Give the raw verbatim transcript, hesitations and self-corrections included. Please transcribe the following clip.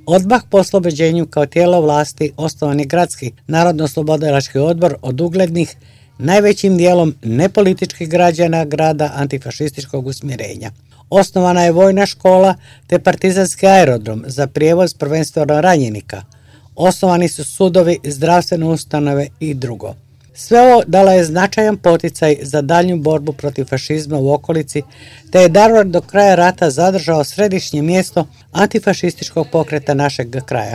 Odmah po oslobođenju kao tijelo vlasti osnovan je Gradski narodno-oslobodilački odbor od uglednih, najvećim dijelom nepolitičkih građana grada antifašističkog usmjerenja. Osnovana je vojna škola te partizanski aerodrom za prijevoz prvenstveno ranjenika. Osnovani su sudovi, zdravstvene ustanove i drugo. Sve ovo dala je značajan poticaj za daljnju borbu protiv fašizma u okolici, te je Daruvar do kraja rata zadržao središnje mjesto antifašističkog pokreta našeg kraja.